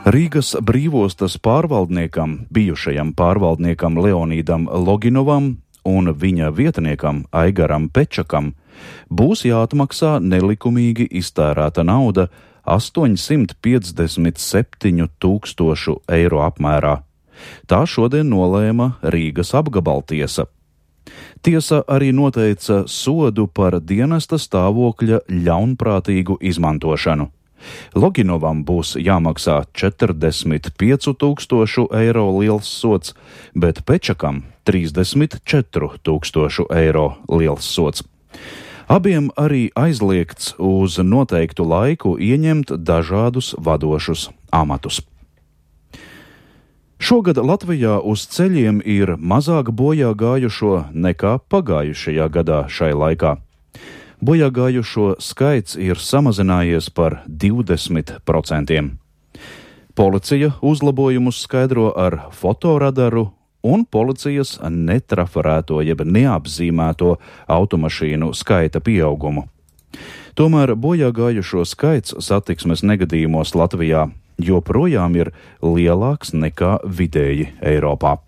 Rīgas brīvostas pārvaldniekam, bijušajam pārvaldniekam Leonīdam Loginovam un viņa vietniekam Aigaram Pečakam būs jāatmaksā nelikumīgi iztērēta nauda 857 000 eiro apmērā. Tā šodien nolēma Rīgas apgabaltiesa. Tiesa arī noteica sodu par dienesta stāvokļa ļaunprātīgu izmantošanu. Loginovam būs jāmaksā 45 000 eiro liels sods, bet Pečakam 34 000 eiro liels sods. Abiem arī aizliegts uz noteiktu laiku ieņemt dažādus vadošus amatus. Šogad Latvijā uz ceļiem ir mazāk bojā gājušo nekā pagājušajā gadā šai laikā. Bojā gājušo skaits ir samazinājies par 20%. Policija uzlabojumus skaidro ar fotoradaru un policijas netrafarēto jeb neapzīmēto automašīnu skaita pieaugumu. Tomēr bojā gājušo skaits satiksmes negadījumos Latvijā joprojām ir lielāks nekā vidēji Eiropā.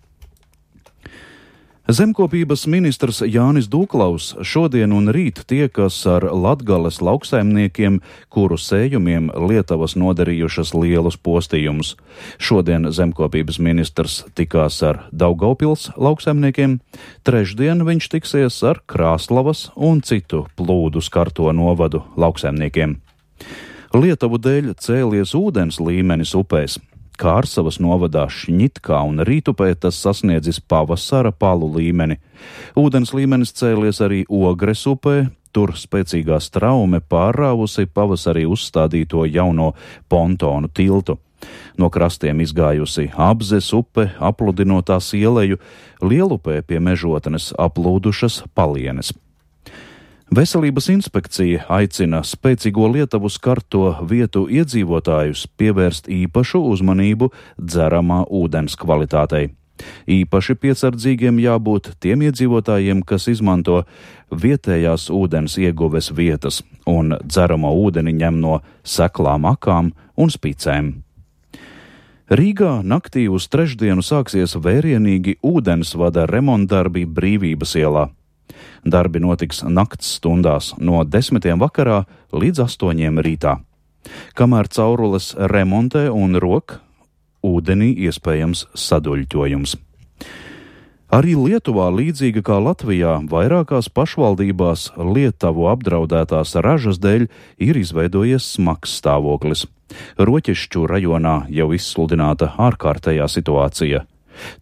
Zemkopības ministrs Jānis Duklaus šodien un rīt tiekas ar Latgales lauksaimniekiem, kuru sējumiem Lietavas nodarījušas lielus postījumus. Šodien zemkopības ministrs tikās ar Daugavpils lauksaimniekiem, trešdien viņš tiksies ar Krāslavas un citu plūdu skarto novadu lauksaimniekiem. Lietavu dēļ cēlies ūdens līmenis upēs. Kārsavas novadā Šņitkā un Rītupē tas sasniedzis pavasara palu līmeni. Ūdens līmenis cēlies arī Ogres upē, tur spēcīgā straume pārrāvusi pavasarī uzstādīto jauno pontonu tiltu. No krastiem izgājusi Abzes upe, apludinot tās ieleju, Lielupē pie Mežotnes aplūdušas palienes. Veselības inspekcija aicina spēcīgo Lietavu skarto vietu iedzīvotājus pievērst īpašu uzmanību dzeramā ūdens kvalitātei. Īpaši piesardzīgiem jābūt tiem iedzīvotājiem, kas izmanto vietējās ūdens ieguves vietas un dzeramo ūdeni ņem no seklām akām un spicēm. Rīgā naktī uz trešdienu sāksies vērienīgi ūdensvada remontdarbi Brīvības ielā. Darbi notiks nakts stundās no 10 vakarā līdz 8 rītā. Kamēr caurules remontē un rok, ūdenī iespējams saduļķojums. Arī Lietuvā, līdzīga kā Latvijā, vairākās pašvaldībās Lietavu apdraudētās ražas dēļ ir izveidojies smags stāvoklis. Roķešķu rajonā jau izsludināta ārkārtējā situācija.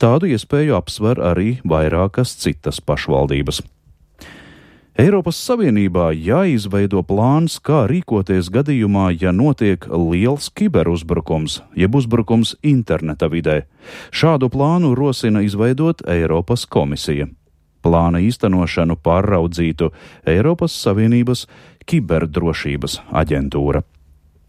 Tādu iespēju apsver arī vairākas citas pašvaldības. Eiropas Savienībā jāizveido plāns, kā rīkoties gadījumā, ja notiek liels kiberuzbrukums, jeb uzbrukums interneta vidē. Šādu plānu rosina izveidot Eiropas komisija. Plāna īstenošanu pārraudzītu Eiropas Savienības kiberdrošības aģentūra.